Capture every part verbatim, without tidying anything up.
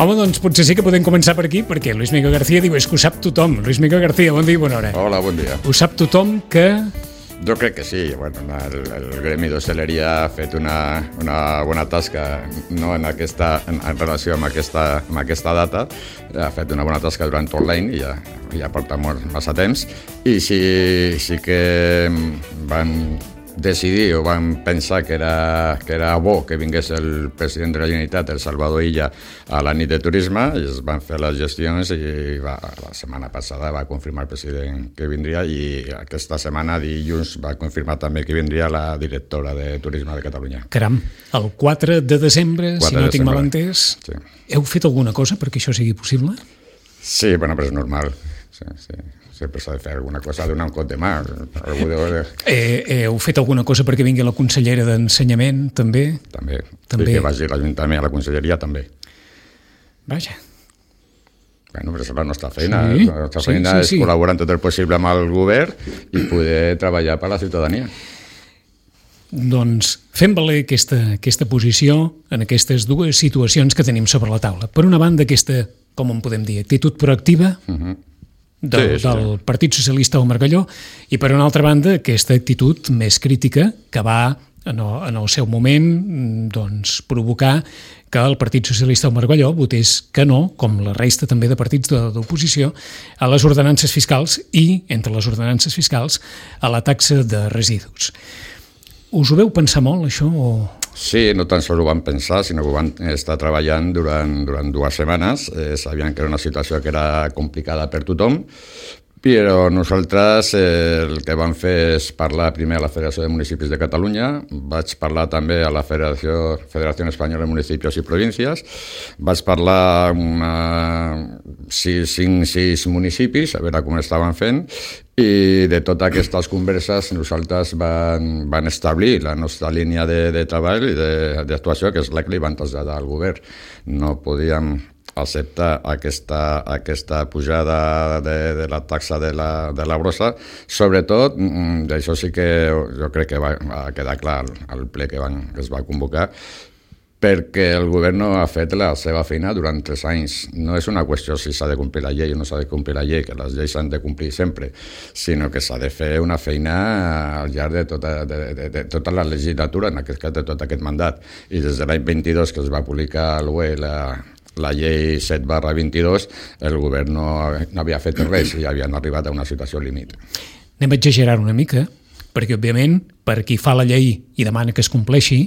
Home, doncs potser sí que podem començar per aquí, perquè Luis Miguel García diu, és que ho sap tothom. Luis Miguel García, bon dia i bona hora. Hola, bon dia. Ho sap tothom que... Jo crec que sí. Bueno, el, el gremi d'hostaleria ha fet una, una bona tasca, no en, aquesta, en, en relació amb aquesta, amb aquesta data, ha fet una bona tasca durant tot l'any i ja, ja porta molt, massa temps, i sí, sí que van decidir o van pensar que era, que era bo que vingués el president de la Generalitat, el Salvador Illa, a la nit de turisme, i es van fer les gestions i va, la setmana passada va confirmar el president que vindria, i aquesta setmana, dilluns, va confirmar també que vindria la directora de Turisme de Catalunya. Caram, el quatre de desembre, si no tinc mal entès, sí. Heu fet alguna cosa perquè això sigui possible? Sí, bueno, però és normal. Sí, sí. Sempre s'ha de fer alguna cosa, donar un cop de mà. Algú de... eh, eh, heu fet alguna cosa perquè vingui la consellera d'Ensenyament, també? També. també. I que vagi l'Ajuntament a la conselleria, també. Vaja. Bueno, però és la nostra feina. Sí, la nostra sí, feina sí, és sí. col·laborar en tot el possible amb el govern i poder treballar per a la ciutadania. Doncs fem valer aquesta, aquesta posició en aquestes dues situacions que tenim sobre la taula. Per una banda, aquesta, com en podem dir, actitud proactiva, uh-huh. del, sí, sí. del Partit Socialista del Margalló, i per una altra banda aquesta actitud més crítica que va en el, en el seu moment doncs, provocar que el Partit Socialista del Margalló votés que no, com la resta també de partits d'oposició, a les ordenances fiscals i, entre les ordenances fiscals, a la taxa de residus. Us ho veu pensar molt, això? O... Sí, no tan sols ho van pensar, sinó que ho van estar treballant durant, durant dues setmanes. Eh, sabien que era una situació que era complicada per tothom, però nosaltres eh, el que vam fer és parlar primer a la Federació de Municipis de Catalunya, vaig parlar també a la Federació, Federació Espanyola de Municipis i Províncies, vaig parlar amb una, sis, cinc, sis municipis, a veure com estaven fent, i de totes aquestes converses nosaltres van, van establir la nostra línia de, de treball i d'actuació, que és la que li van traslladar al govern. No podíem acceptar aquesta, aquesta pujada de, de la taxa de la, de la brossa. Sobretot, d'això sí que jo crec que va, va quedar clar al ple que, van, que es va convocar, perquè el govern no ha fet la seva feina durant tres anys. No és una qüestió si s'ha de complir la llei o no s'ha de complir la llei, que les lleis s'han de complir sempre, sinó que s'ha de fer una feina al llarg de tota, de, de, de tota la legislatura, en aquest cas de tot aquest mandat. I des de l'any vint-i-dos, que es va publicar a l'U E la, la llei set barra vint-i-dos, el govern no, no havia fet res i havien arribat a una situació límit. Anem a exagerar una mica, perquè, òbviament, per qui fa la llei i demana que es compleixi,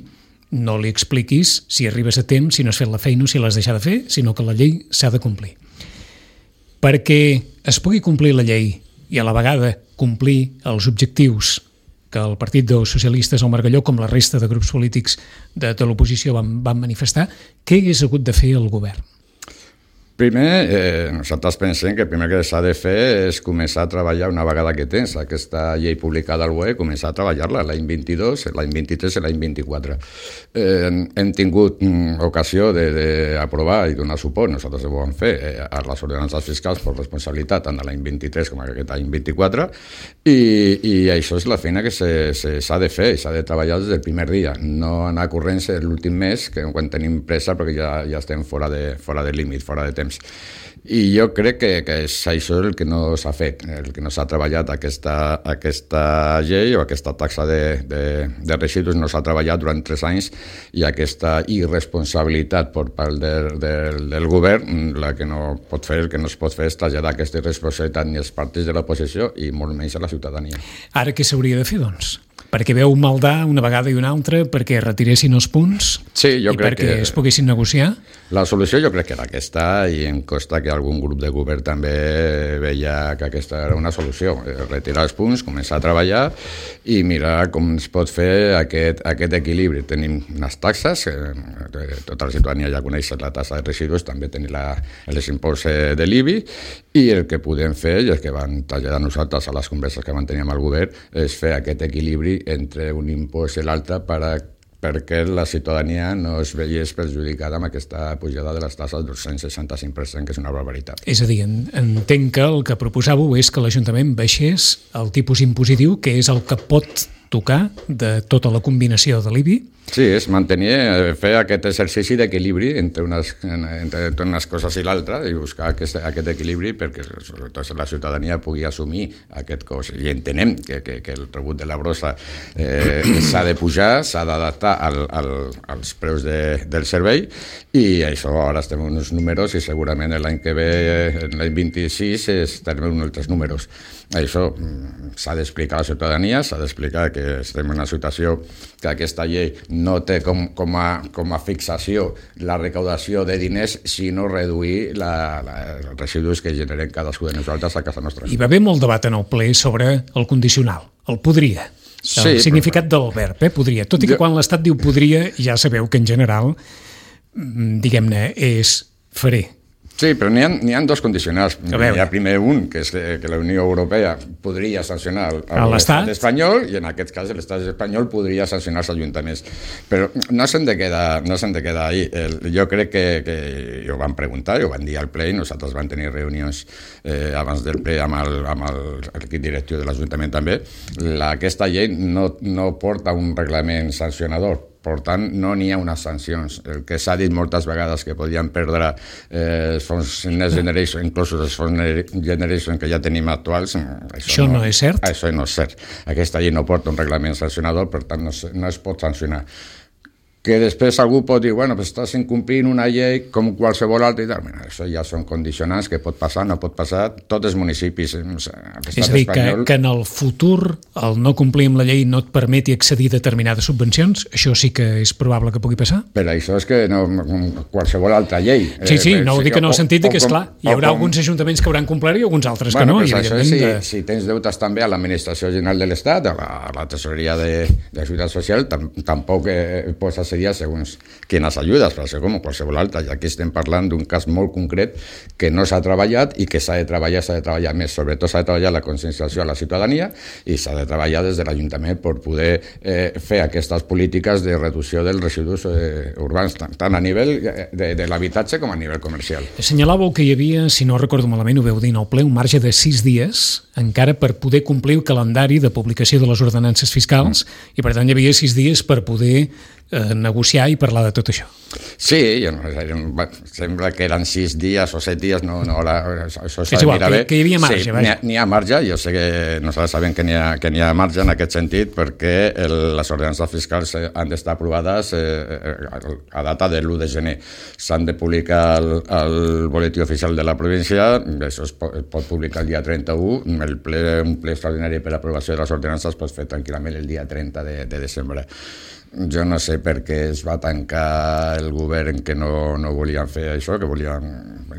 no li expliquis si arribes a temps, si no has fet la feina o si l'has deixat de fer, sinó que la llei s'ha de complir. Perquè es pugui complir la llei i a la vegada complir els objectius que el Partit dels Socialistes al Margalló, com la resta de grups polítics de, de l'oposició van, van manifestar, què hagués hagut de fer el govern? Primer, eh, nosaltres pensem que el primer que s'ha de fer és començar a treballar una vegada que tens aquesta llei publicada al B O E, començar a treballar-la l'any vint-i-dos, l'any vint-i-tres i l'any vint-i-quatre. Eh, hem tingut mm, ocasió d'aprovar i donar suport, nosaltres ho vam fer, eh, a les ordenances fiscals per responsabilitat tant de l'any vint-i-tres com aquest any vint-i-quatre, i, i això és la feina que s'ha de fer, s'ha de treballar des del primer dia, no anar corrents l'últim mes, que quan tenim pressa perquè ja, ja estem fora de, fora de límit, fora de temps. I jo crec que, que és això el que no s'ha fet, el que no s'ha treballat aquesta, aquesta llei o aquesta taxa de, de, de residus no s'ha treballat durant tres anys, i aquesta irresponsabilitat per part del, del, del govern, la que no pot fer, el que no es pot fer és traslladar aquesta irresponsabilitat ni als partits de l'oposició i molt menys a la ciutadania. Ara què s'hauria de fer, doncs? Perquè veu maldar una vegada i una altra, perquè retiressin els punts sí, jo i crec perquè que es poguessin negociar? La solució jo crec que era aquesta, i em costa que algun grup de govern també veia que aquesta era una solució. Retirar els punts, començar a treballar i mirar com es pot fer aquest, aquest equilibri. Tenim unes taxes, eh, tota la ciutadania ja coneix la taxa de residus, també tenim la, els imposts de l'I B I, i el que podem fer, i el que van traslladar nosaltres a les converses que manteníem al govern, és fer aquest equilibri entre un impost i l'altre per a perquè la ciutadania no es veiés perjudicada amb aquesta pujada de les taxes del cent seixanta-cinc per cent, que és una barbaritat. És a dir, entenc que el que proposàveu és que l'Ajuntament baixés el tipus impositiu, que és el que pot tocar de tota la combinació de l'I B I. Sí, és mantenir, fer aquest exercici d'equilibri entre unes, entre unes coses i l'altra i buscar aquest, aquest equilibri perquè sobretot la ciutadania pugui assumir aquest cost. I entenem que, que, que el rebut de la brossa eh, s'ha de pujar, s'ha d'adaptar al, al, als preus de, del servei i això ara estem en uns números i segurament l'any que ve, l'any vint-i-sis, estarem en altres números. Això s'ha d'explicar a la ciutadania, s'ha d'explicar que estem en una situació que aquesta llei no té com, com, a, com a fixació la recaudació de diners, sinó reduir la, la, els residus que generen cadascú de nosaltres a casa nostra. Hi va haver molt debat en el ple sobre el condicional, el podria. El sí, significat però... del verb, eh? Podria. Tot i que jo... quan l'Estat diu podria, ja sabeu que en general, diguem-ne, és faré. Sí, però n'hi ha, n'hi ha dos condicionals. Hi ha primer un, que és que la Unió Europea podria sancionar l'Estat espanyol i en aquest cas l'Estat espanyol podria sancionar els ajuntaments. Però no s'han de quedar, no s'han de quedar ahí. El, jo crec que, que ho van preguntar, ho van dir al ple i nosaltres vam tenir reunions eh, abans del ple amb el, amb el equip directiu de l'Ajuntament també. La, aquesta llei no, no porta un reglament sancionador. Per tant, no n'hi ha unes sancions. El que s'ha dit moltes vegades que podien perdre eh, els fons Next Generation, inclús els fons Next Generation que ja tenim actuals, això, això no, no és cert? Això no és cert. Aquesta llei no porta un reglament sancionador, per tant no, no es pot sancionar. Que després algú pot dir, bueno, pues estàs incomplint una llei com qualsevol altra i tal. Mira, això ja són condicionants que pot passar, no pot passar. Tots els municipis... És a dir, espanyol... que, que en el futur el no complir amb la llei no et permeti accedir a determinades subvencions, això sí que és probable que pugui passar? Però això és que no, qualsevol altra llei... Sí, sí, no ho dic en el sentit que, és clar, hi haurà com... alguns ajuntaments que hauran complert i alguns altres bueno, que no. Pues això és si, de... si tens deutes també a l'Administració General de l'Estat, a la, a la Tesoreria de, de la Seguretat Social, tam, tampoc eh, pots accedir segons quines ajudes, per ser com qualsevol altra. I aquí estem parlant d'un cas molt concret que no s'ha treballat i que s'ha de treballar, s'ha de treballar més. Sobretot s'ha de treballar la conscienciació a la ciutadania i s'ha de treballar des de l'Ajuntament per poder eh, fer aquestes polítiques de reducció dels residus eh, urbans, tant, tant a nivell de, de l'habitatge com a nivell comercial. Assenyalàveu que hi havia, si no recordo malament, ho veu dir en el ple, un marge de sis dies encara per poder complir el calendari de publicació de les ordenances fiscals mm. i per tant hi havia sis dies per poder eh, negociar i parlar de tot això. Sí, no, sembla que eren sis dies o set dies, no, no ara, això s'ha de mirar bé. Que hi havia marge, sí, n'hi ha, n'hi ha marge, jo sé que nosaltres sabem que n'hi ha, que n'hi ha marge en aquest sentit perquè el, les ordenances fiscals han d'estar aprovades eh, a data de l'u de gener. S'han de publicar al, al boletí oficial de la província, això es pot, pot publicar el dia trenta-u, el ple, un ple extraordinari per aprovació de les ordenances es pot fer tranquil·lament el dia trenta de, de desembre. Jo no sé per què es va tancar el govern que no, no volien fer això, que volien,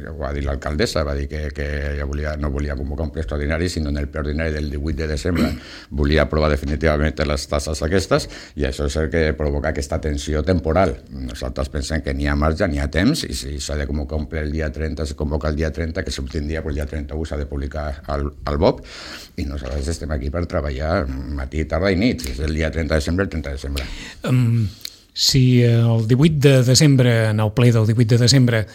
ho va dir l'alcaldessa, va dir que, que ja volia, no volia convocar un ple extraordinari, sinó en el ple ordinari del divuit de desembre volia aprovar definitivament les tasses aquestes, i això és el que provoca aquesta tensió temporal. Nosaltres pensem que n'hi ha marge, n'hi ha temps, i si s'ha de convocar un ple el dia trenta, se convoca el dia trenta, que s'obtindria el dia trenta-u s'ha de publicar al, al B O P, i nosaltres estem aquí per treballar matí, tarda i nit, és el dia trenta de desembre, el trenta de desembre. Um, si el divuit de desembre, en el ple del divuit de desembre,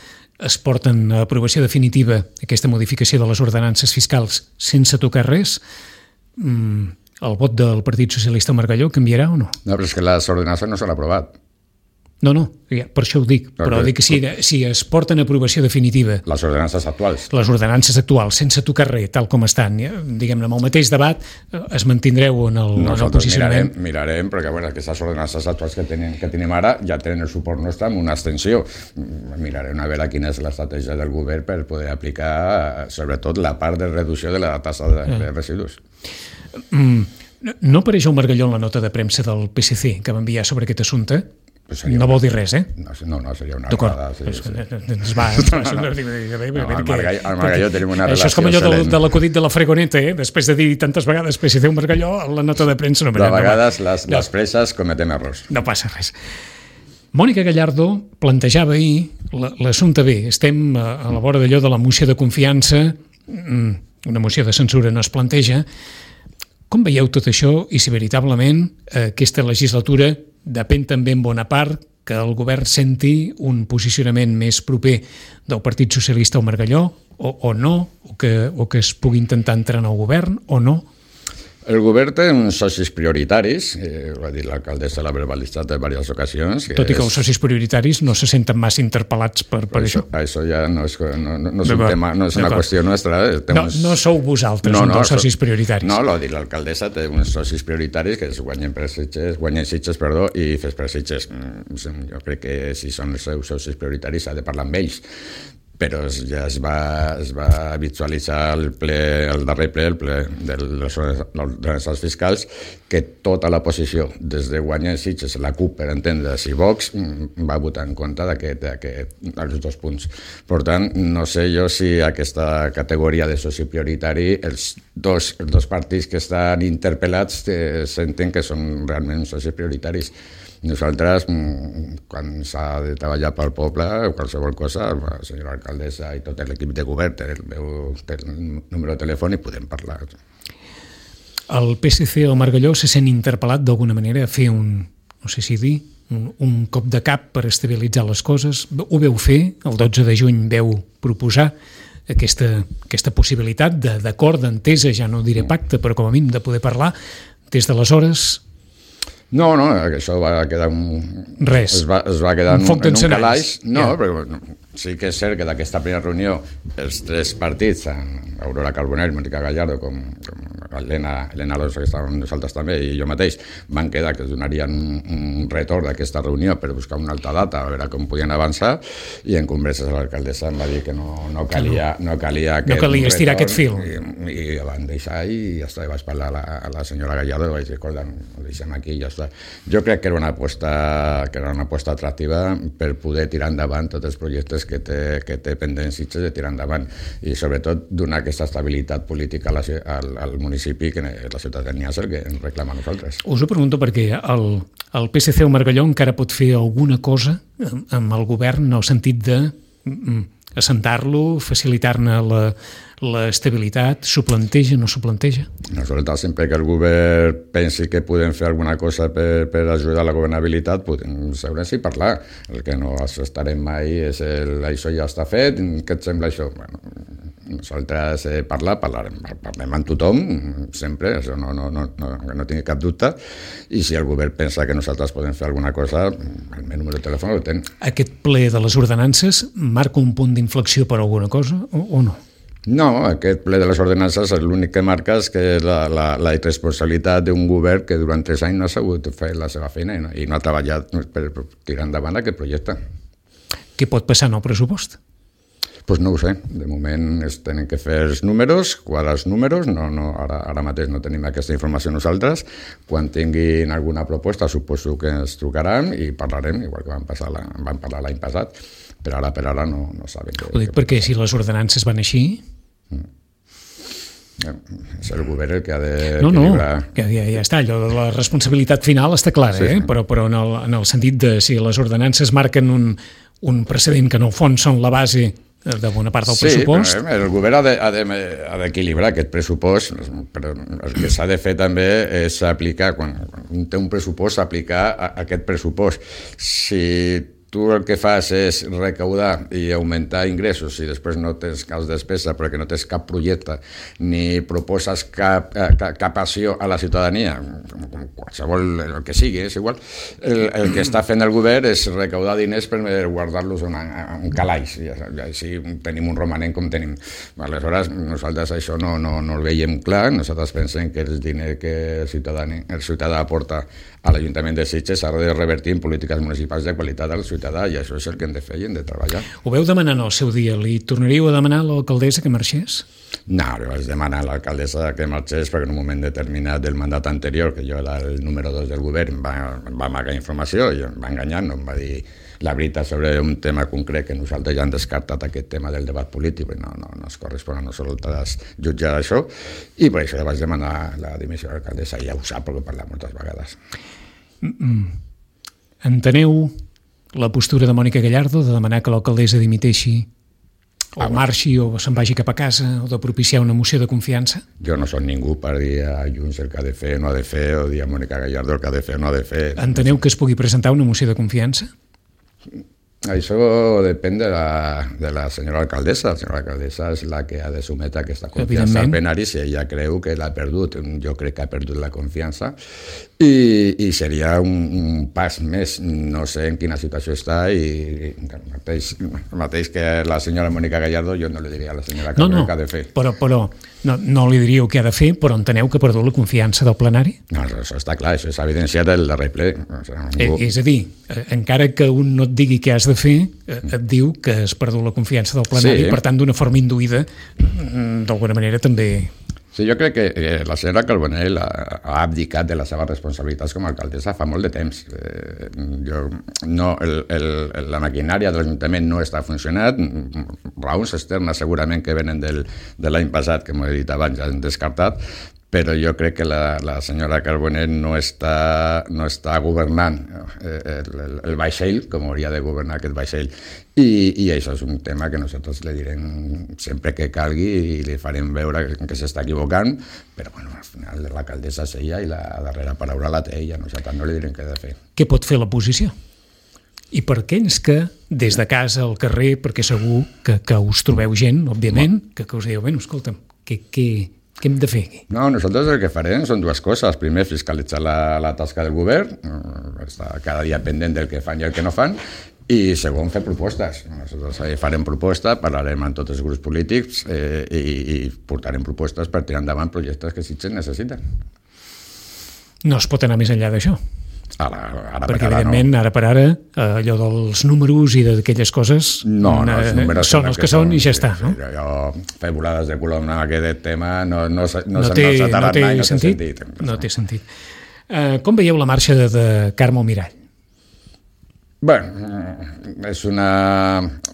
es porten a aprovació definitiva aquesta modificació de les ordenances fiscals sense tocar res, um, el vot del Partit Socialista Margalló canviarà o no? No, però és que les ordenances no s'han aprovat. No, no, per això ho dic, però dic que si, si es porten a aprovació definitiva... Les ordenances actuals. Les ordenances actuals, sense tocar res, tal com estan, diguem-ne, amb el mateix debat, es mantindreu en el, en el posicionament? Mirarem, mirarem, perquè bueno, aquestes ordenances actuals que tenim, que tenim ara ja tenen el suport nostre amb una extensió. Mirarem a veure quina és l'estratègia del govern per poder aplicar, sobretot, la part de reducció de la tassa de, de residus. Mm, no apareix el Margalló en la nota de premsa del P S C que va enviar sobre aquest assumpte? Pues no vol dir res, eh? No, no, seria una vegada. Sí, sí. Ens va... No, no. No, al Margalló tenim una relació Això és com allò de, de l'acudit de la fregoneta, eh? Després de dir tantes vegades P S C un Margalló, la nota de premsa... No, de vegades no, les, no. les preses cometem errors. No passa res. Mònica Gallardo plantejava ahir l'assumpte bé. Estem a la vora d'allò de la moció de confiança, una moció de censura no es planteja. Com veieu tot això i si veritablement aquesta legislatura depèn també en bona part que el govern senti un posicionament més proper del Partit Socialista al Margalló o, o no, o que, o que es pugui intentar entrar en el govern o no? El govern té uns socis prioritaris, eh, ho ha dit l'alcaldessa, l'ha verbalitzat en diverses ocasions. Tot i que els socis prioritaris no se senten massa interpel·lats per, per això. Això ja no és, no, no, no és un tema, no és una qüestió nostra. No, uns... no sou vosaltres, no, un dels no, socis prioritaris. No, l'ha dit l'alcaldessa, té uns socis prioritaris que es guanyen per Sitges, guanyen Sitges, perdó, i fes per Sitges. Jo crec que si són els seus socis prioritaris s'ha de parlar amb ells. Però ja es va, es va visualitzar el, ple, el darrer ple, el ple de les ordenances fiscals, que tota la posició, des de guanyar Sitges, la CUP, per entendre's, i Vox, va votar en contra d'aquests dos punts. Per tant, no sé jo si aquesta categoria de soci prioritari, els dos, els dos partits que estan interpel·lats eh, senten que són realment socis prioritaris. Nosaltres, quan s'ha de treballar pel poble o qualsevol cosa, la senyora alcaldessa i tot l'equip de govern té el meu té el número de telèfon i podem parlar. El P S C al Margalló se sent interpel·lat d'alguna manera a fer un, no sé si dir, un, un cop de cap per estabilitzar les coses. Ho veu fer, el dotze de juny veu proposar aquesta, aquesta possibilitat d'acord, d'entesa, ja no diré pacte, però com a mínim de poder parlar. Des d'aleshores... No, no, això va quedar un... Res. Es va, es va quedar un, un, en un calaix. No, ja. Però sí que és cert que d'aquesta primera reunió els tres partits, Aurora Carbonell, Mónica Gallardo, com, com Elena, Elena Alonso, que estàvem nosaltres també, i jo mateix, van quedar que es donarien un, un retorn d'aquesta reunió per buscar una altra data, a veure com podien avançar, i en converses l'alcaldessa em va dir que no, no calia, no calia, no calia estirar aquest fil. I, i van deixar i ja està, i vaig parlar a la, a la senyora Gallardo i vaig dir, escolta, ho deixem aquí i ja està. Jo crec que era una aposta, que era una aposta atractiva per poder tirar endavant tots els projectes que té, que té pendents Sitges de tirar endavant i sobretot donar aquesta estabilitat política a la, al, al municipi que la ciutadania és el que ens reclama a nosaltres. Us ho pregunto perquè el, el P S C al Margalló encara pot fer alguna cosa amb el govern en el sentit de assentar-lo, facilitar-ne la, l'estabilitat, s'ho planteja, no s'ho planteja? Nosaltres, sempre que el govern pensi que podem fer alguna cosa per, per ajudar a la governabilitat, podem seure'ns i parlar. El que no estarem mai és el, això ja està fet, què et sembla això? Bueno, nosaltres eh, parlar, parlarem, parlem amb tothom, sempre, això no, no, no, no, no tingui cap dubte, i si el govern pensa que nosaltres podem fer alguna cosa, el meu número de telèfon el ten. Aquest ple de les ordenances marca un punt d'inflexió per alguna cosa o, o no? No, aquest ple de les ordenances l'únic que marca és que la, la, la irresponsabilitat d'un govern que durant tres anys no ha sabut fer la seva feina i no, i no ha treballat per tirar endavant aquest projecte. Què pot passar en el pressupost? Doncs pues no ho sé, de moment es tenen que fer els números, quadrar els números, no, no, ara, ara mateix no tenim aquesta informació nosaltres, quan tinguin alguna proposta suposo que ens trucaran i parlarem, igual que vam, passar la, vam parlar l'any passat, però ara per ara no, no saben. Ho dic perquè si les ordenances van així... Mm. És el govern el que ha de... No, no, ja, ja, ja està, allò de la responsabilitat final està clara, sí, eh? Sí. Però, però en, el, en el sentit de si les ordenances marquen un, un precedent que en el fons són la base de bona part del sí, pressupost. Sí, el govern ha d'equilibrar aquest pressupost, però el que s'ha de fer també és aplicar, quan, quan té un pressupost, aplicar a, a aquest pressupost. Si tu el que fas és recaudar i augmentar ingressos i després no tens cap despesa perquè no tens cap projecte ni proposes cap, cap, cap acció a la ciutadania, com, com qualsevol el que sigui, és igual, el, el que està fent el govern és recaudar diners per guardar-los en un calaix i així tenim un romanent com tenim. Aleshores, nosaltres això no, no, no el veiem clar, nosaltres pensem que el diner que el ciutadà, el ciutadà aporta a l'Ajuntament de Sitges s'ha de revertir en polítiques municipals de qualitat al ciutadà i això és el que hem de fer i hem de treballar. Ho veu demanar en el seu dia? Li tornaríeu a demanar a l'alcaldessa que marxés? No, li vaig demanar a l'alcaldessa que marxés perquè en un moment determinat del mandat anterior, que jo era el número dos del govern, va, va amagar informació i em va enganyar, no em va dir la veritat sobre un tema concret que nosaltres ja hem descartat aquest tema del debat polític i no, no, no es correspon a nosaltres jutjar això i per això li vaig demanar la dimissió de l'alcaldessa i ja ho sap perquè ho parla moltes vegades. Enteneu la postura de Mònica Gallardo de demanar que l'alcaldessa dimiteixi o marxi o se'n vagi cap a casa o de propiciar una moció de confiança? Jo no soc ningú per dir a Junts el que ha de fer o no ha de fer o dir a Mònica Gallardo el que ha de fer o no ha de fer. Enteneu que es pugui presentar una moció de confiança? Això depèn de la, de la senyora alcaldessa. La senyora alcaldessa és la que ha de sometre aquesta confiança al plenari si ella creu que l'ha perdut. Jo crec que ha perdut la confiança i, i seria un, un pas més. No sé en quina situació està i el mateix, el mateix que la senyora Mònica Gallardo jo no li diria a la senyora Carme no, no, què ha de fer. Però, però no, no li diríeu què ha de fer, però enteneu que ha perdut la confiança del plenari? No, això està clar, això s'ha evidenciat el darrer ple. O sigui, ningú... És a dir, encara que un no et digui què has de fer, et diu que has perdut la confiança del plenari, sí. Per tant, d'una forma induïda, d'alguna manera també... Sí, jo crec que la senyora Carbonell ha abdicat de les seves responsabilitats com a alcaldessa fa molt de temps. Eh, jo, no, el, el, la maquinària de l'Ajuntament no està funcionant, raons externes segurament que venen del, de l'any passat, que m'ho he dit abans, ja hem descartat, però jo crec que la, la senyora Carbonell no està, no està governant el, el, el vaixell com hauria de governar aquest vaixell. I, I això és un tema que nosaltres li direm sempre que calgui i li farem veure que s'està equivocant, però bueno, al final l'alcaldessa és ella i la darrera paraula la té ella, nosaltres no li direm què ha de fer. Què pot fer l'oposició? I per aquells que, des de casa al carrer, perquè segur que, que us trobeu gent, òbviament, que, que us dieu, bueno, escolta'm, què, què, què hem de fer aquí? No, nosaltres el que farem són dues coses. Primer, fiscalitzar la, la tasca del govern, estar cada dia pendent del que fan i el que no fan, i segon, fer propostes. Nosaltres farem propostes, parlarem amb tots els grups polítics eh, i, i portarem propostes per tirar endavant projectes que Sitges necessiten. No es pot anar més enllà d'això? Ara, ara perquè per ara, evidentment no. ara per ara allò dels números i d'aquelles coses no, no, els números són els que, que són i ja sí, està, no? Sí, jo fer volades de colom en aquest tema no, no, no, no, no té, no no té mai, no sentit, té sentit. No té sentit. Uh, com veieu la marxa de, de Carme Almirall? Bé, és una,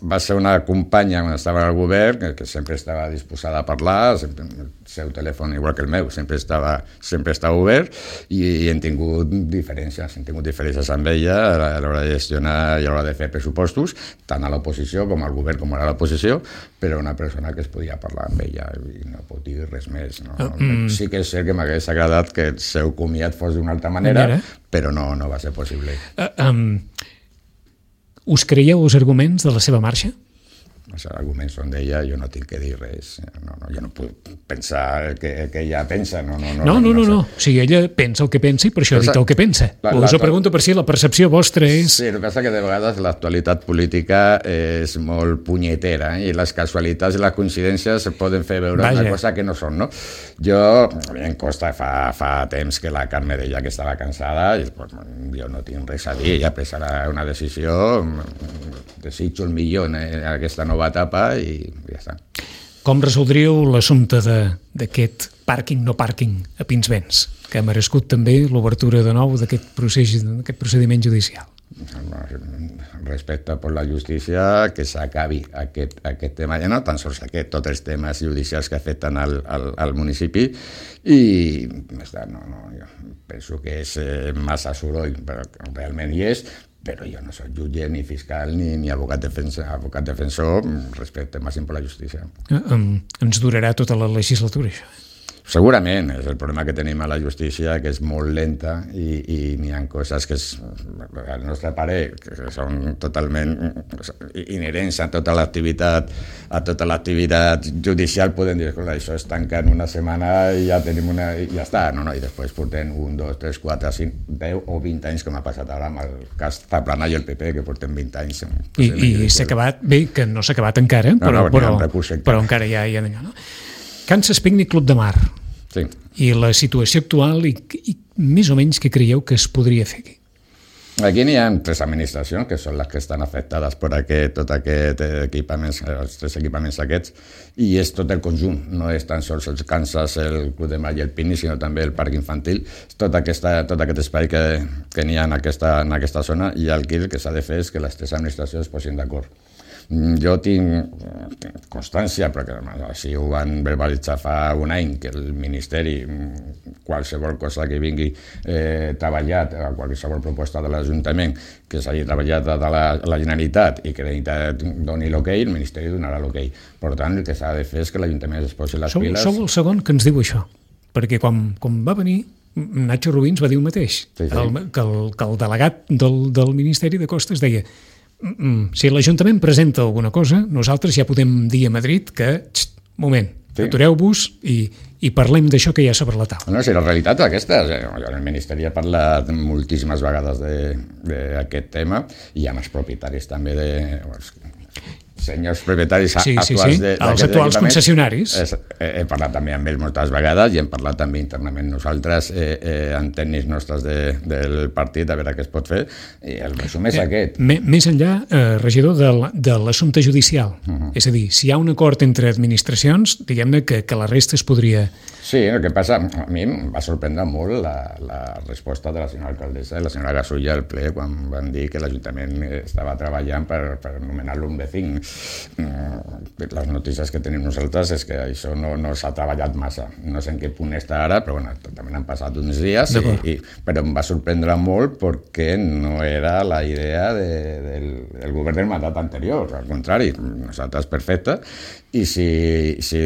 va ser una companya quan estava al govern, que, que sempre estava disposada a parlar, sempre, el seu telèfon, igual que el meu, sempre estava, sempre estava obert, i, i hem tingut diferències, hem tingut diferències amb ella a l'hora de gestionar i a l'hora de fer pressupostos, tant a l'oposició com al govern com a l'oposició, però una persona que es podia parlar amb ella i no pot dir res més. No? Uh, mm. Sí que és cert que m'hagués agradat que el seu comiat fos d'una altra manera, manera, però no, no va ser possible. Uh, um... Us creieu els arguments de la seva marxa? Els arguments són d'ella, jo no tinc que dir res. No, no, jo no puc pensar que, que ella pensa. No, no, no. No, no, no, no. O sigui, ella pensa el que pensa i per això ha dit el que pensa. La, Us ho pregunto per si la percepció vostra és... Sí, el que passa que de vegades l'actualitat política és molt punyetera i les casualitats i les coincidències poden fer veure Vaja. Una cosa que no són, no? Jo, a mi em costa fa, fa temps que la Carme deia que estava cansada i pues, jo no tinc res a dir, ella pressarà una decisió, desitjo el millor en aquesta nova etapa i ja està. Com resoldríeu l'assumpte d'aquest pàrquing no pàrquing a Pinsbens, que ha merescut també l'obertura de nou d'aquest procés, d'aquest procediment judicial? Respecte per la justícia, que s'acabi aquest, aquest tema, ja no tan sols aquest, tots els temes judicials que afecten al, al, al municipi i no, no, jo penso que és massa soroll, però realment hi és, però jo no soc jutge, ni fiscal, ni, ni abocat, defensa, abocat defensor respecte màxim per la justícia. Um, ens durarà tota la legislatura, això? Segurament, és el problema que tenim a la justícia, que és molt lenta i, i n'hi ha coses que, és, al nostre parer, que són totalment inherents a tota l'activitat a tota l'activitat judicial, podem dir que això es tanca en una setmana i ja tenim una... i ja està, no, no, i després portem un, dos, tres, quatre, cinc, deu o vint anys, com ha passat ara amb el cas Zaplana i el P P, que portem vint anys. I, i s'ha acabat, bé, que no s'ha acabat encara, però, no, no, però, però, però encara hi ha, hi ha d'allò, no? Kansas Picnic Club de Mar. Sí. I la situació actual i, i més o menys què creieu que es podria fer aquí? Aquí n'hi ha tres administracions que són les que estan afectades per aquest, tot aquest equipaments, els tres equipaments aquests, i és tot el conjunt, no és tan sols els Kansas, el Club de Mar i el Picnic, sinó també el parc infantil, tot, aquesta, tot aquest espai que, que n'hi ha en aquesta, en aquesta zona, i el que s'ha de fer és que les tres administracions es posin d'acord. Jo tinc constància, perquè així ho van verbalitzar fa un any, que el Ministeri, qualsevol cosa que vingui eh, treballat, qualsevol proposta de l'Ajuntament que s'hagi treballat de la, la Generalitat i que la Generalitat doni l'hoquei, el Ministeri donarà l'hoquei. Per tant, el que s'ha de fer és que l'Ajuntament es posi les sou, piles... Sou el segon que ens diu això, perquè quan, quan va venir Nacho Rubins va dir el mateix, sí, sí. El, que, el, que el delegat del, del Ministeri de Costes deia si l'Ajuntament presenta alguna cosa, nosaltres ja podem dir a Madrid que, xt, moment, sí. atureu-vos i, i parlem d'això que hi ha sobre la taula. No, si la realitat és aquesta. El Ministeri ha parlat moltíssimes vegades d'aquest tema i amb els propietaris també de... senyors propietaris sí, actuals sí, sí. de, els actuals concessionaris. He, he parlat també amb ells moltes vegades i hem parlat també internament nosaltres eh, eh, amb tècnics nostres de, del partit a veure què es pot fer i el resum és eh, aquest. Més enllà, eh, regidor, de, de l'assumpte judicial. Uh-huh. És a dir, si hi ha un acord entre administracions, diguem-ne que, que la resta es podria... Sí, el que passa, a mi em va sorprendre molt la, la resposta de la senyora alcaldessa i la senyora Gasulla al ple quan van dir que l'Ajuntament estava treballant per, per anomenar-lo un vecín. Les notícies que tenim nosaltres és que això no, no s'ha treballat massa. No sé en què punt està ara, però bueno, també han passat uns dies, i, i, però em va sorprendre molt perquè no era la idea de, del, del govern del mandat anterior. Al contrari, nosaltres perfecte, i si, si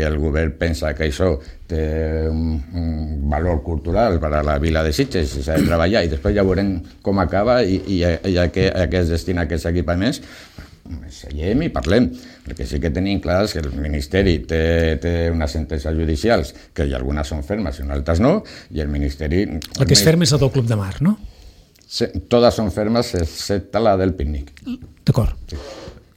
el govern pensa que això té un, un valor cultural per a la vila de Sitges i s'ha de treballar i després ja veurem com acaba i, i, i a, què, a què es destina aquests equipaments, seiem i parlem. El que sí que tenim clar és que el Ministeri té, té unes sentències judicials que hi algunes són fermes i altres no, i el Ministeri... La que és ferma és la del Club de Mar, no? Sí, totes són fermes excepte la del pícnic. D'acord. Sí.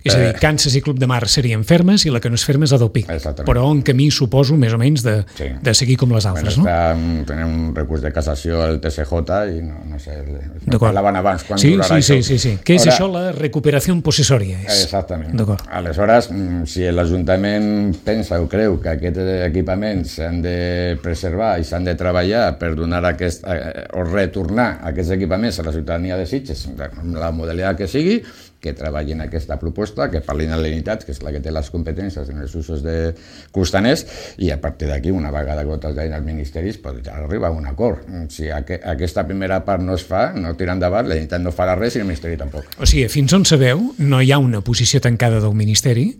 És a dir, Kansas i Club de Mar serien fermes i la que no és ferma és la del P I C. Però en camí suposo més o menys de, sí. de seguir com les altres, bueno, està, no? Tenim un recurs de cassació al T C J i no, no sé, no parlaven abans quan sí, durarà sí, això. Sí, sí, sí. Què és Ara, això, la recuperació possessòria? És... Exactament. Aleshores, si l'Ajuntament pensa o creu que aquests equipaments s'han de preservar i s'han de treballar per donar aquest, o retornar aquests equipaments a la ciutadania de Sitges, la modalitat que sigui, que treballin aquesta proposta, que parlin a l'Unitat, que és la que té les competències en els usos de costaners, i a partir d'aquí, una vegada gotes d'ahir als ministeris, podrà arribar a un acord. Si aqu aquesta primera part no es fa, no tira endavant, la Unitat no farà res i el Ministeri tampoc. O sigui, fins on sabeu, no hi ha una posició tancada del Ministeri,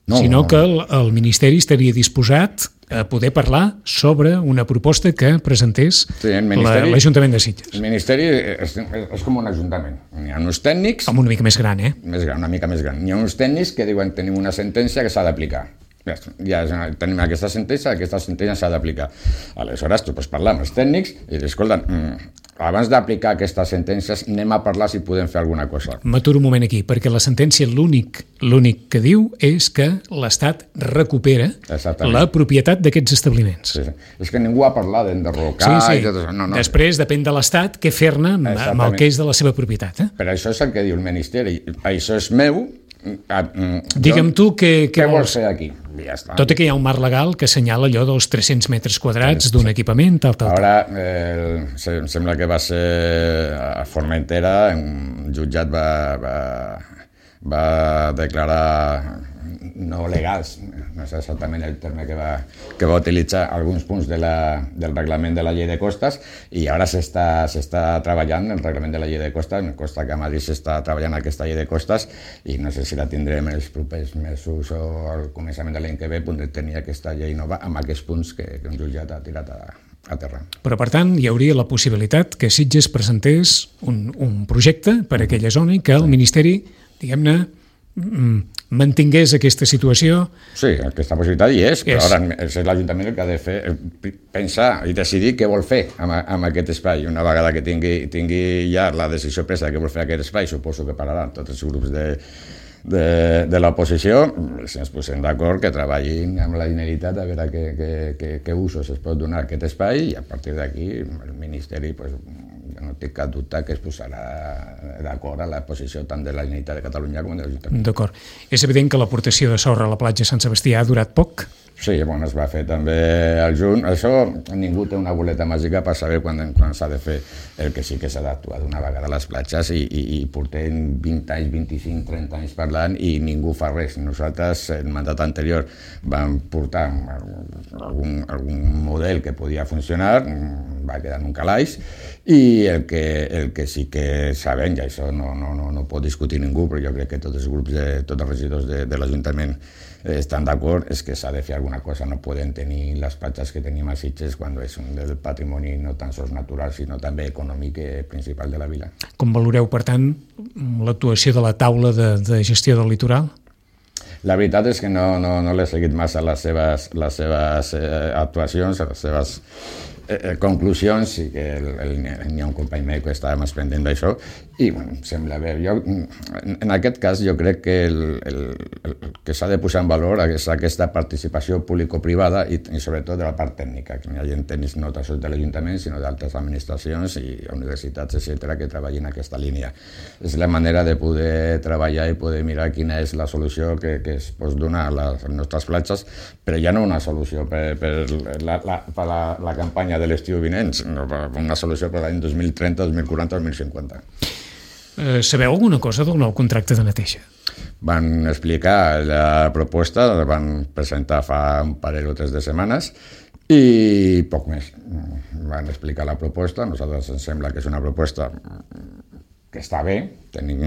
no, sinó no. que el, el Ministeri estaria disposat a poder parlar sobre una proposta que presentés sí, l'Ajuntament de Sitges. El Ministeri és, és com un ajuntament. N'hi ha uns tècnics... Com una mica més gran, eh? Més gran, una mica més gran. N'hi ha uns tècnics que diuen que tenim una sentència que s'ha d'aplicar. Ja tenim aquesta sentència, aquesta sentència s'ha d'aplicar. Aleshores, tu pots parlar amb els tècnics i dir, escolta, abans d'aplicar aquestes sentències anem a parlar si podem fer alguna cosa. M'aturo un moment aquí, perquè la sentència l'únic l'únic que diu és que l'Estat recupera la propietat d'aquests establiments. Sí, sí. És que ningú ha parlat d'enderrocar... Sí, sí. I tot això. No, no. Després depèn de l'Estat què fer-ne amb el que és de la seva propietat. Eh? Però això és el que diu el Ministeri. Això és meu... Digue'm tu què, què, què vols fer aquí? Ja està. Tot i que hi ha un marc legal que assenyala allò dels tres-cents metres quadrats d'un equipament, tal, tal, tal. Ara, eh, em sembla que va ser a Formentera, un jutjat va, va, va declarar no legals, no sé exactament el terme que va, que va utilitzar alguns punts de la, del reglament de la llei de costes, i ara s'està s'està treballant el reglament de la llei de costes, em consta que a Madrid s'està treballant aquesta llei de costes i no sé si la tindrem els propers mesos o al començament de l'any que ve, podrem tenir aquesta llei nova amb aquests punts que, que un jutjat ha tirat a, a terra. Però, per tant, hi hauria la possibilitat que Sitges presentés un, un projecte per a aquella zona i que el Ministeri, diguem-ne, mantingués aquesta situació. Sí, aquesta possibilitat hi és, però és. Ara és l'Ajuntament el que ha de fer, pensar i decidir què vol fer amb, amb aquest espai. Una vegada que tingui, tingui ja la decisió presa de què vol fer aquest espai, suposo que pararan tots els grups de, de, de l'oposició, si ens posem d'acord que treballin amb la Generalitat a veure què, què, què, què usos es pot donar a aquest espai, i a partir d'aquí el Ministeri, pues, no tinc cap dubte que es posarà d'acord a la posició tant de la Generalitat de Catalunya com de l'Ajuntament. D'acord. És evident que l'aportació de sorra a la platja Sant Sebastià ha durat poc? Sí, bueno, es va fer també al juny. Això, ningú té una boleta màgica per saber quan, quan s'ha de fer. El que sí que s'ha d'actuar d'una vegada a les platges i, i, i portem vint anys, vint-i-cinc, trenta anys parlant i ningú fa res. Nosaltres, el mandat anterior, vam portar algun, algun model que podia funcionar, va quedar en un calaix, i el que, el que sí que sabem, i això no, no, no, no pot discutir ningú, però jo crec que tots els grups, de, tots els regidors de, de l'Ajuntament estan d'acord, és que s'ha de fer alguna cosa. No poden tenir les platges que tenim a Sitges quan és un del patrimoni no tan sols natural, sinó també econòmic principal de la vila. Com valoreu, per tant, l'actuació de la taula de, de gestió del litoral? La veritat és que no, no, no l'he seguit massa les seves, les seves eh, actuacions, les seves eh, conclusions, sí que el, el, n'hi ha un company meu que estava més pendent d'això, i bueno, sembla bé. Jo, en, en aquest cas jo crec que el, el, el que s'ha de posar en valor és aquesta participació público-privada i, i sobretot de la part tècnica, que hi ha gent tècnics no tan sols de l'Ajuntament, sinó d'altres administracions i universitats, etcètera, que treballin en aquesta línia. És la manera de poder treballar i poder mirar quina és la solució que, que es pot donar a les nostres platges, però ja no una solució per, per, la, la, per la, la campanya de l'estiu vinent, sinó una solució per l'any dos mil trenta, dos mil quaranta, dos mil cinquanta. Eh, sabeu alguna cosa del nou contracte de neteja? Van explicar la proposta, la van presentar fa un parell o tres de setmanes i poc més. Van explicar la proposta, a nosaltres ens sembla que és una proposta que està bé, tenim,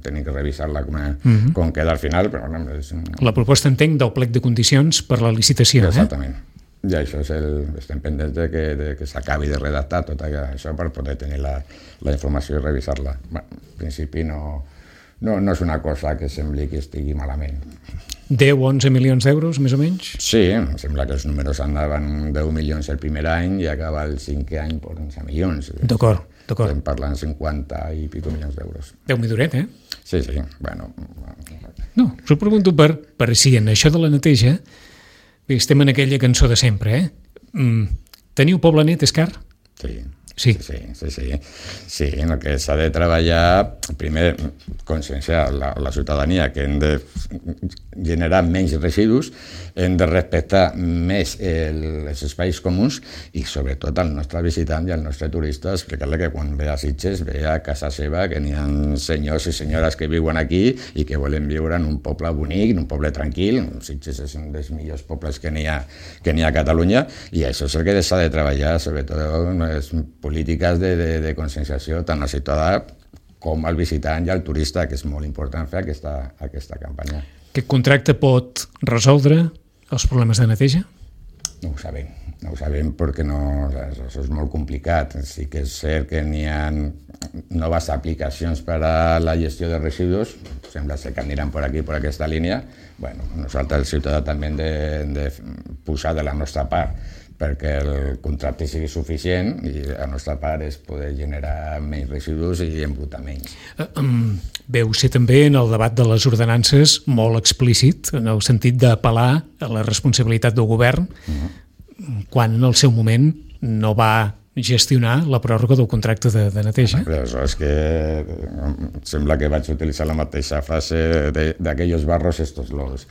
tenim que revisar-la com, uh-huh. com queda al final, però no, és... La proposta, entenc, del plec de condicions per la licitació, Exactament. eh? I això és el... estem pendents de que, de que s'acabi de redactar tot això per poder tenir la, la informació i revisar-la. Bueno, en principi no, no, no és una cosa que sembli que estigui malament. deu o onze milions d'euros, més o menys? Sí, em sembla que els números anaven deu milions el primer any i acaba el cinquè any per onze milions. D'acord, d'acord. Estem parlant cinquanta i pico milions d'euros. Déu-m'hi duret, eh? Sí, sí, bueno... No, us ho pregunto per, per si en això de la neteja, bé, estem en aquella cançó de sempre, eh? Mm, teniu poble net, és car? Sí. Sí. Sí, sí, sí. Sí, en el que s'ha de treballar, primer, conscienciar la, la ciutadania que hem de generar menys residus, hem de respectar més el, els espais comuns i sobretot al nostre visitant i al nostre turista explicar-li que quan ve a Sitges ve a casa seva, que n'hi ha senyors i senyores que viuen aquí i que volen viure en un poble bonic, en un poble tranquil. Sitges és un dels millors pobles que n'hi ha, que n'hi ha a Catalunya i això és el que s'ha de treballar, sobretot les polítiques de, de, de conscienciació tant al ciutadà com al visitant i al turista, que és molt important fer aquesta, aquesta campanya. Aquest contracte pot resoldre els problemes de neteja? No ho sabem, no ho sabem perquè no, això és molt complicat. Sí que és cert que n'hi ha noves aplicacions per a la gestió de residus, sembla ser que aniran per aquí, per aquesta línia. Bueno, nosaltres, el ciutadà, també hem de, de posar de la nostra part perquè el contracte sigui suficient i la nostra part és poder generar menys residus i embrutar menys. Um, veu ser també en el debat de les ordenances molt explícit, en el sentit d'apel·lar a la responsabilitat del govern, uh-huh. quan en el seu moment no va gestionar la pròrroga del contracte de, de neteja. Però això és que sembla que vaig utilitzar la mateixa frase d'aquells barros estos lodos.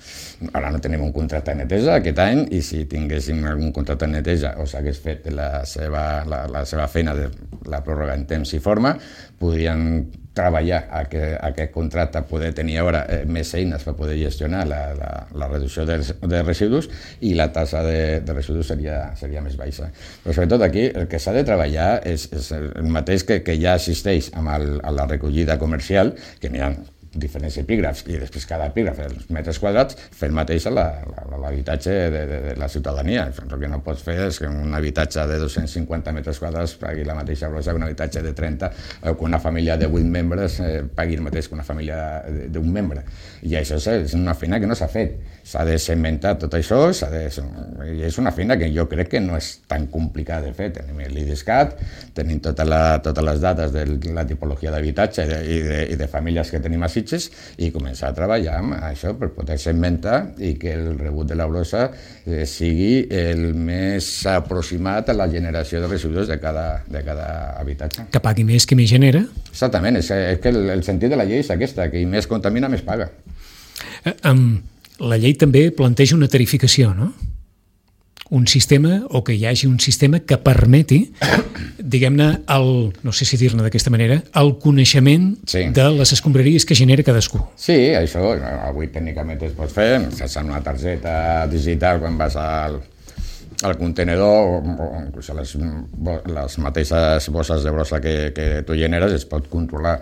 Ara no tenim un contracte de neteja aquest any i si tinguéssim algun contracte de neteja o s'hagués fet la seva, la, la seva feina de la pròrroga en temps i forma, podrien treballar a que aquest contracte poder tenir ara eh, més eines per poder gestionar la, la, la reducció de, de residus i la tassa de, de residus seria, seria més baixa. Però sobretot aquí el que s'ha de treballar és, és el mateix que, que ja existeix amb el, a la recollida comercial, que n'hi ha diferents epígrafs i després cada epígraf, els metres quadrats, fer el mateix a l'habitatge de, de, de la ciutadania. El que no pots fer és que un habitatge de dos-cents cinquanta metres quadrats pagui la mateixa brossa que un habitatge de trenta, o que una família de vuit membres eh, pagui el mateix que una família d'un membre. I això és una feina que no s'ha fet. S'ha de segmentar tot això, s'ha de... i és una feina que jo crec que no és tan complicada de fer. Tenim l'I D E S C A T, tenim tota la, totes les dades de la tipologia d'habitatge i, de, i, de, i de famílies que tenim a Sitges i començar a treballar amb això per poder segmentar i que el rebut de la brossa eh, sigui el més aproximat a la generació de residus de cada, de cada habitatge. Que pagui més que més genera? Exactament, és, és que el, el sentit de la llei és aquesta, que qui més contamina més paga. Eh, um, la llei també planteja una tarificació, no? Un sistema, o que hi hagi un sistema que permeti, diguem-ne, el, no sé si dir-ne d'aquesta manera, el coneixement sí. de les escombraries que genera cadascú. Sí, això avui tècnicament es pot fer, sense una targeta digital quan vas al, al contenedor o inclús a les, les mateixes bosses de brossa que, que tu generes es pot controlar.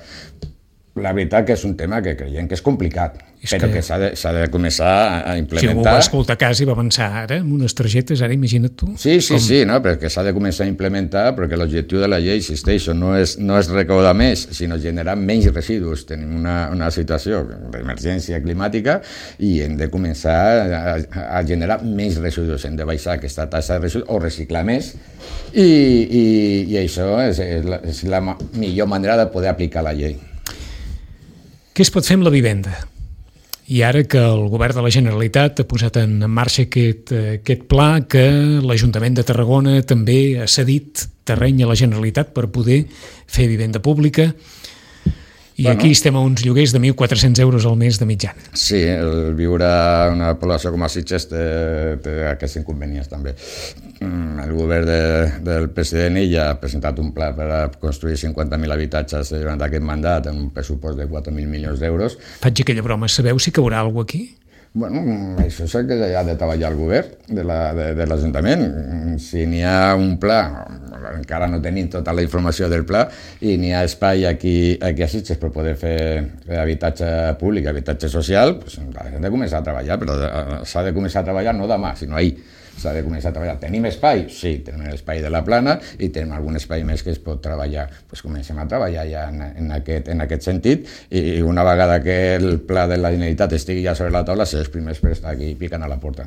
La veritat que és un tema que creiem que és complicat, és però que, que s'ha de, s'ha de començar a implementar. Si algú va escoltar a casa i va pensar ara amb unes targetes, ara imagina't tu. Sí, sí, com... sí, no? Però que s'ha de començar a implementar perquè l'objectiu de la llei, insisteixo, no és, no és recaudar més, sinó generar menys residus. Tenim una, una situació d'emergència climàtica i hem de començar a, a generar menys residus, hem de baixar aquesta taxa de residus o reciclar més i, i, i això és, és, la, és la millor manera de poder aplicar la llei. Què es pot fer amb la vivenda? I ara que el govern de la Generalitat ha posat en marxa aquest, aquest pla, que l'Ajuntament de Tarragona també ha cedit terreny a la Generalitat per poder fer vivenda pública, i bueno, aquí estem a uns lloguers de mil quatre-cents euros al mes de mitjana. Sí, el viure en una població com a Sitges té, té aquests inconvenients també. El govern de, del president ja ha presentat un pla per a construir cinquanta mil habitatges durant aquest mandat en un pressupost de quatre mil milions d'euros. Faig aquella broma, sabeu si caurà alguna cosa aquí? Bueno, això és el que ha de treballar el govern de, la, de, de l'Ajuntament. Si n'hi ha un pla, encara no tenim tota la informació del pla, i n'hi ha espai aquí, aquí a Sitges per poder fer, fer habitatge públic, habitatge social, doncs hem de començar a treballar, però s'ha de començar a treballar no demà, sinó ahir. S'ha de començar a treballar. Tenim espai? Sí, tenim l'espai de la Plana i tenim algun espai més que es pot treballar. Doncs comencem a treballar ja en, en, aquest, en aquest sentit i una vegada que el pla de la Generalitat estigui ja sobre la taula, ser els primers per estar aquí picant a la porta.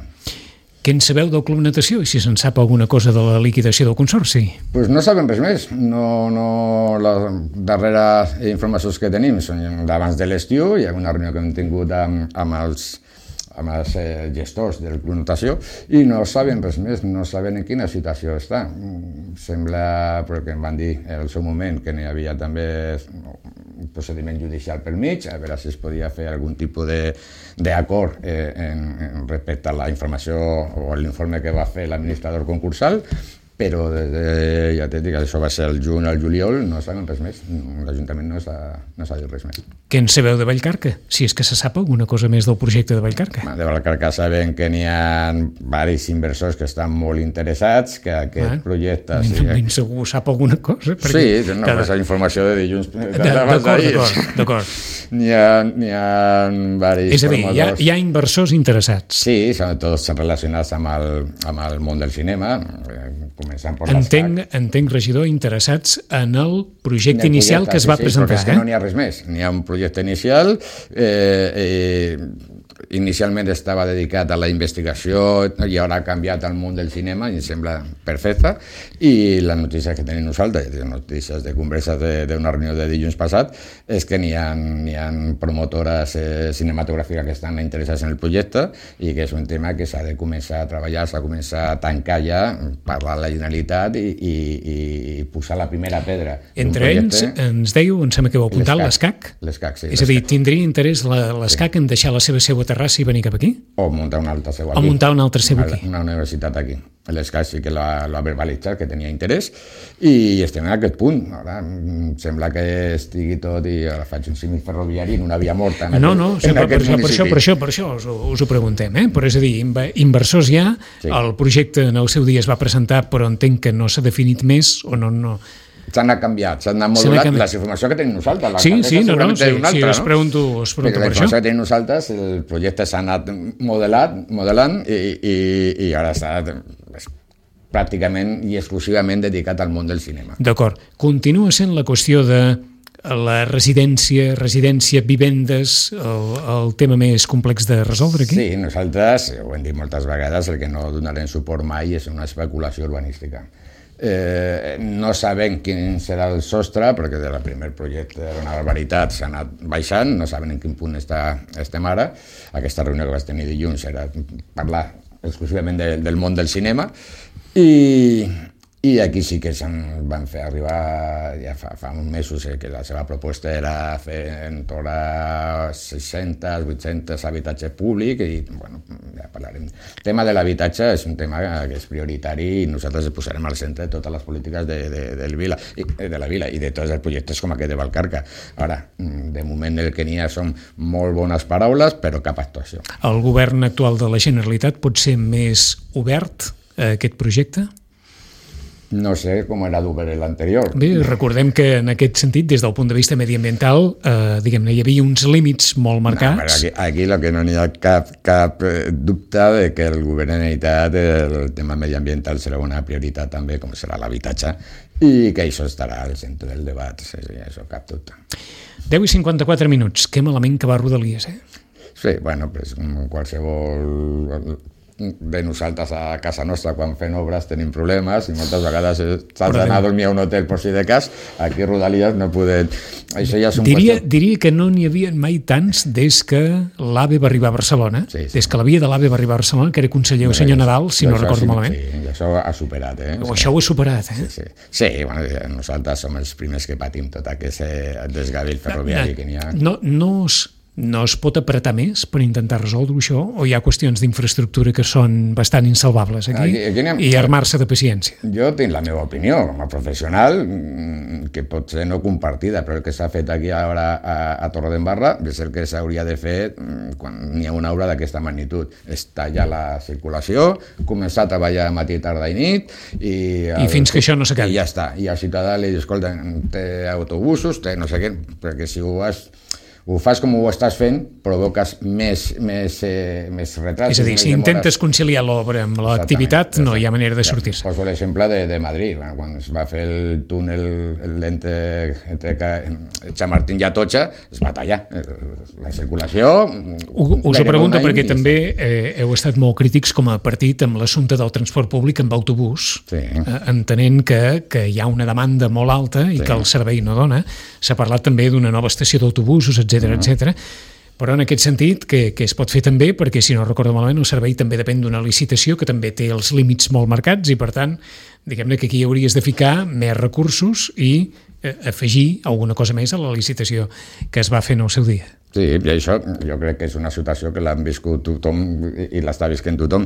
Què en sabeu del Club Natació i si se'n sap alguna cosa de la liquidació del Consorci? Pues no sabem res més. No, no, les darreres informacions que tenim són d'abans de l'estiu, hi ha una reunió que hem tingut amb, amb els amb els eh, gestors del Club Natació i no saben res més, no saben en quina situació està. Sembla, perquè em van dir en el seu moment que n'hi havia també un procediment judicial pel mig, a veure si es podia fer algun tipus d'acord eh, en, en respecte a la informació o l'informe que va fer l'administrador concursal, però de, ja t'he dit que això va ser el juny al juliol, no sabem res més. L'Ajuntament no s'ha no dit res més. Què en sabeu de Vallcarca? Si és que se sap alguna cosa més del projecte de Vallcarca. De Vallcarca sabem que n'hi ha diversos inversors que estan molt interessats, que aquest ah, projecte... Sí, ben segur sap alguna cosa. Sí, no, cada... és la informació de dilluns. D'acord, d'acord, d'acord. N'hi ha, n'hi ha diversos... És a dir, hi ha, hi ha inversors interessats. Sí, són tots relacionats amb el, amb el món del cinema, començant per entenc, entenc, regidor, interessats en el projecte en el inicial projecte, que es va sí, presentar. Sí, perquè és que no n'hi ha res més. N'hi ha un projecte inicial, eh, eh, inicialment estava dedicat a la investigació i ara ha canviat al món del cinema i em sembla perfecte, i la notícia que tenim nosaltres, les notícies de converses d'una reunió de dilluns passat, és que n'hi ha, n'hi ha promotores eh, cinematogràfiques que estan interessades en el projecte i que és un tema que s'ha de començar a treballar, s'ha de començar a tancar ja, parlar a la Generalitat i, i, i posar la primera pedra. Entre ells, ens dèieu, em sembla que heu apuntat l'ESCAC. L'ESCAC, sí. És a dir, tindria interès l'ESCAC sí. en deixar la seva seu a Terrassa i venir cap aquí? O muntar una altra seu aquí. O muntar una altra seu aquí. Una, una universitat aquí. L'ESCAC sí que l'ha verbalitzat, que tenia interès, i estem en aquest punt. Ara sembla que estigui tot, i ara faig un símil ferroviari en una via morta. En no, aquest, no, sí, per, per, per, això, per això, per això us, us ho preguntem, eh? Però és a dir, inversors ja, sí. El projecte en el seu dia es va presentar, però entenc que no s'ha definit més, o no... no. S'han anat s'han anat modulat la informació que tenim nosaltres. La sí, sí, no, no, sí, altra, sí, no? us pregunto, us pregunto per això. La informació que tenim nosaltres, el projecte s'ha anat modelat, modelant i, i, i ara està pràcticament i exclusivament dedicat al món del cinema. D'acord. Continua sent la qüestió de la residència, residència, vivendes, el, el tema més complex de resoldre aquí? Sí, nosaltres, ho hem dit moltes vegades, el que no donarem suport mai és una especulació urbanística. Eh, no sabem quin serà el sostre, perquè del primer projecte era una barbaritat, s'ha anat baixant, no sabem en quin punt està, estem ara. Aquesta reunió que vaig tenir dilluns era parlar exclusivament de, del món del cinema, i, i aquí sí que se'n van fer arribar ja fa, fa uns mesos eh, que la seva proposta era fer en torn a sis-cents, vuit-cents habitatges públics i, bueno, ja parlarem. El tema de l'habitatge és un tema que és prioritari i nosaltres posarem al centre de totes les polítiques de, de, de, vila, de la vila i de tots els projectes com aquest de Vallcarca. Ara, de moment el que n'hi ha són molt bones paraules, però cap actuació. El govern actual de la Generalitat pot ser més obert aquest projecte? No sé com era d'obert l'anterior. Bé, recordem que en aquest sentit, des del punt de vista mediambiental, eh, diguem-ne, hi havia uns límits molt marcats. No, aquí, aquí lo que no n'hi ha cap, cap dubte de que el govern de la Generalitat el tema mediambiental serà una prioritat també, com serà l'habitatge, i que això estarà al centre del debat, sí, sí, això cap dubte. deu i cinquanta-quatre minuts, que malament que va Rodalies, eh? Sí, bueno, pues, qualsevol de nosaltres a casa nostra quan fem obres tenim problemes i moltes vegades s'ha d'anar a dormir a un hotel per si de cas. Aquí a Rodalies no podem... Això ja és un diria, qüestió... diria que no n'hi havia mai tants des que l'AVE va arribar a Barcelona, sí, sí. Des que la via de l'AVE va arribar a Barcelona, que era conseller el senyor Nadal, si no recordo sí, malament. Sí, això ha superat, eh? O això ho ha superat, eh? Sí, sí. Sí, bueno, nosaltres som els primers que patim tot aquest desgavell ferroviari que n'hi ha. No, no es... No es pot apretar més per intentar resoldre això? O hi ha qüestions d'infraestructura que són bastant insalvables aquí, aquí, aquí anem... i armar-se de paciència? Jo tinc la meva opinió, com a professional, que pot ser no compartida, però el que s'ha fet aquí ara a, a Torredembarra és el que s'hauria de fer quan n'hi ha una obra d'aquesta magnitud. És tallar la circulació, començar a treballar matí, tarda i nit... I, I el, fins que això no s'acabi. I ja està. I al ciutadà li diu, escolta, té autobusos, té no sé què, perquè si ho has... ho fas com ho estàs fent, provoques més, més, eh, més retrats. És a dir, si intentes conciliar l'obra amb l'activitat, no hi ha manera de sortir-se. Poso l'exemple de, de Madrid, quan es va fer el túnel lent entre Chamartín i Atocha, es va tallar la circulació. Us ho pregunto perquè també eh, heu estat molt crítics com a partit amb l'assumpte del transport públic amb autobús, sí. eh, entenent que, que hi ha una demanda molt alta i sí. que el servei no dona. S'ha parlat també d'una nova estació d'autobusos, etcètera, etcètera. Però en aquest sentit, que, que es pot fer també, perquè si no recordo malament, el servei també depèn d'una licitació que també té els límits molt marcats i, per tant, diguem-ne que aquí hauries de ficar més recursos i eh, afegir alguna cosa més a la licitació que es va fer en el seu dia. Sí, i això jo crec que és una situació que l'han viscut tothom i l'està visquent tothom.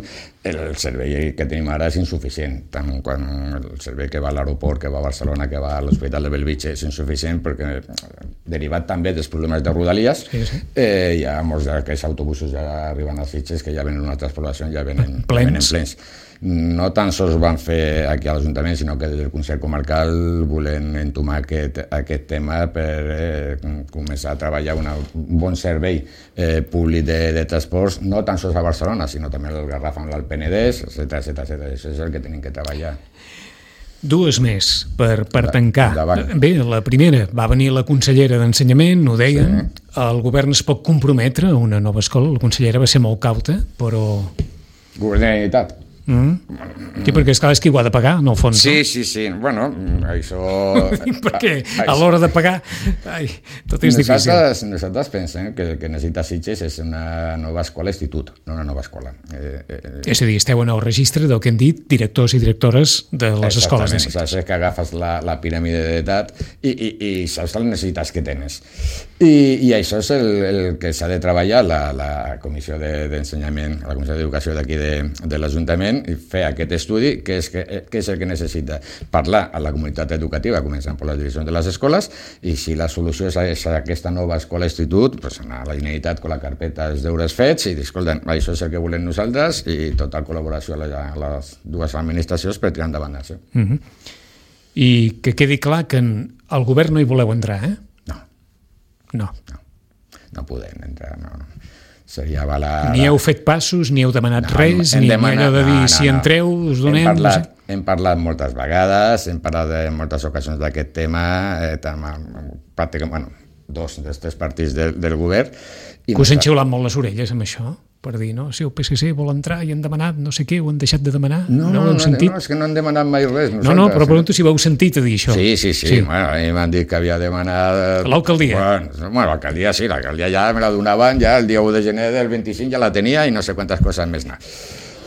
El servei que tenim ara és insuficient, tant quan el servei que va a l'aeroport, que va a Barcelona, que va a l'Hospital de Bellvitge és insuficient perquè, derivat també dels problemes de Rodalies, sí, sí. Eh, hi ha molts d'aquests autobusos ja arriben a Sitges que ja venen a altres poblacions, ja venen plens. Ja venen plens. No tan sols van fer aquí a l'Ajuntament, sinó que des del Consell Comarcal volen entomar aquest, aquest tema per eh, començar a treballar una, un bon servei eh, públic de, de transports, no tan sols a Barcelona, sinó també al Garraf amb l'Alt Penedès, etcètera, etcètera. Això és el que tenim que treballar. Dues més per, per tancar. Davant. Bé, la primera, va venir la consellera d'Ensenyament, ho deien, sí. El govern es pot comprometre a una nova escola, la consellera va ser molt cauta, però... Govern de la Generalitat. Mm. Sí, perquè esclar, és qui ho ha de pagar, en el fons. Sí, sí, sí. Bueno, això... perquè a l'hora de pagar ai, tot és nosaltres, difícil. Nosaltres pensem que el que necessita Sitges és una nova escola institut, no una nova escola. Eh, eh, és a dir, esteu en el registre del que hem dit directors i directores de les escoles de Sitges. És que agafes la, la piràmide d'edat i, i, i saps les necessitats que tens. I, i això és el, el que s'ha de treballar la, la Comissió d'Ensenyament, de, la Comissió d'Educació d'aquí de, de l'Ajuntament, i fer aquest estudi, que és, que, que és el que necessita parlar a la comunitat educativa, començant per les direccions de les escoles, i si la solució és, és aquesta nova escola institut, pues anar a la Generalitat amb la carpeta dels deures fets i dir, escolta, això és el que volem nosaltres i tota col·laboració a, la, a les dues administracions per tirar endavant això. Uh -huh. I que quedi clar que en el govern no hi voleu entrar, eh? No. No. No, no podem entrar, no, no. Seria avalar... Ni heu fet passos, ni heu demanat no, res, ni demanat, allò de dir, no, no, si entreu, us donem... Hem parlat, no sé. hem parlat moltes vegades, hem parlat en moltes ocasions d'aquest tema, eh, tant, pràcticament, bueno, dos dels tres partits del, del govern. I que us han xiulat molt les orelles amb això? Per dir, no, si el P S C vol entrar i han demanat no sé què, ho han deixat de demanar, no, no ho heu no, sentit? No, és que no han demanat mai res. No, no, però pregunto si ho heu sentit a dir això. Sí, sí, sí, sí. Bueno, a mi m'han dit que havia demanat... L'alcaldia? Bueno, bueno l'alcaldia sí, l'alcaldia ja me la donaven, ja el dia u de gener del vint-i-cinc ja la tenia i no sé quantes coses més anar.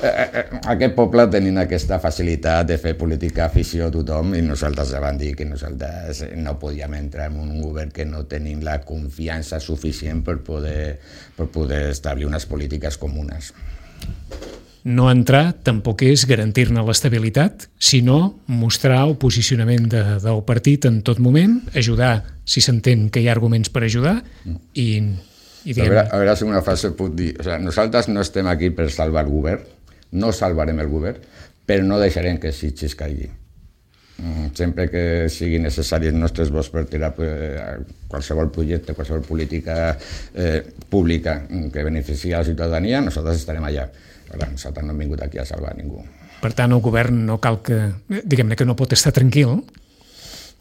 Aquest poble tenint aquesta facilitat de fer política afició a tothom i nosaltres ja vam dir que nosaltres no podíem entrar en un govern que no tenim la confiança suficient per poder, per poder establir unes polítiques comunes. No entrar tampoc és garantir-ne l'estabilitat, sinó mostrar el posicionament de, del partit en tot moment, ajudar si s'entén que hi ha arguments per ajudar i... i a, veure, a veure si una frase puc dir. O sigui, nosaltres no estem aquí per salvar el govern, no salvarem el govern, però no deixarem que Sitges caigui. Sempre que sigui necessari els nostres vots per tirar qualsevol projecte, qualsevol política eh, pública que benefici a la ciutadania, nosaltres estarem allà. Ara, nosaltres no hem vingut aquí a salvar ningú. Per tant, el govern no cal que... Diguem-ne que no pot estar tranquil,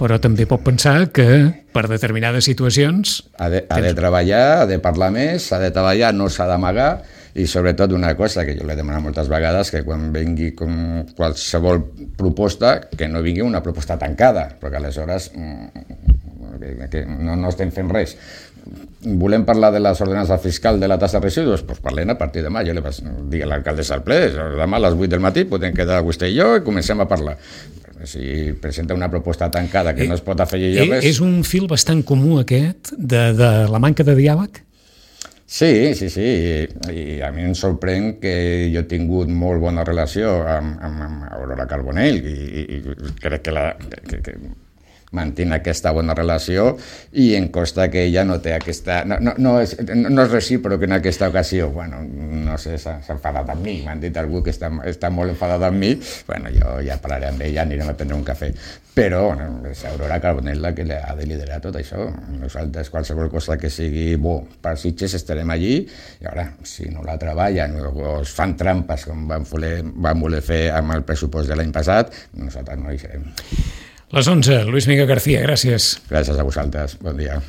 però també pot pensar que per determinades situacions... Ha de, ha de treballar, ha de parlar més, ha de treballar, no s'ha d'amagar, i sobretot una cosa que jo l'he demanat moltes vegades, que quan vingui com qualsevol proposta, que no vingui una proposta tancada, perquè aleshores que, que no, no estem fent res. Volem parlar de les ordenances fiscals de la tassa de residus? Doncs parlem a partir de demà. Jo li vaig dir a l'alcaldessa al ple, demà a les vuit del matí podem quedar vostè i jo i comencem a parlar. Si presenta una proposta tancada que no es pot afegir jo res... És un fil bastant comú aquest de, de la manca de diàleg? Sí, sí, sí, I, i a mi em sorprèn que jo he tingut molt bona relació amb, amb, amb Aurora Carbonell i, i, i crec que, la, que, que mantinc aquesta bona relació i em consta que ella no té aquesta... No, no, no, és, no és recíproc en aquesta ocasió. Bueno, no sé, s'ha enfadat amb mi, m'han dit algú que està, està molt enfadat amb mi. Bueno, jo ja parlaré amb ella, anirem a prendre un cafè. Però és Aurora Carbonell la que ha de liderar tot això. Nosaltres, qualsevol cosa que sigui bo per Sitges, estarem allí. I ara, si no la treballen o es fan trampes com van voler, van voler fer amb el pressupost de l'any passat, nosaltres no hi serem. Les onze, Luis Miguel García, gràcies. Gràcies a vosaltres, bon dia.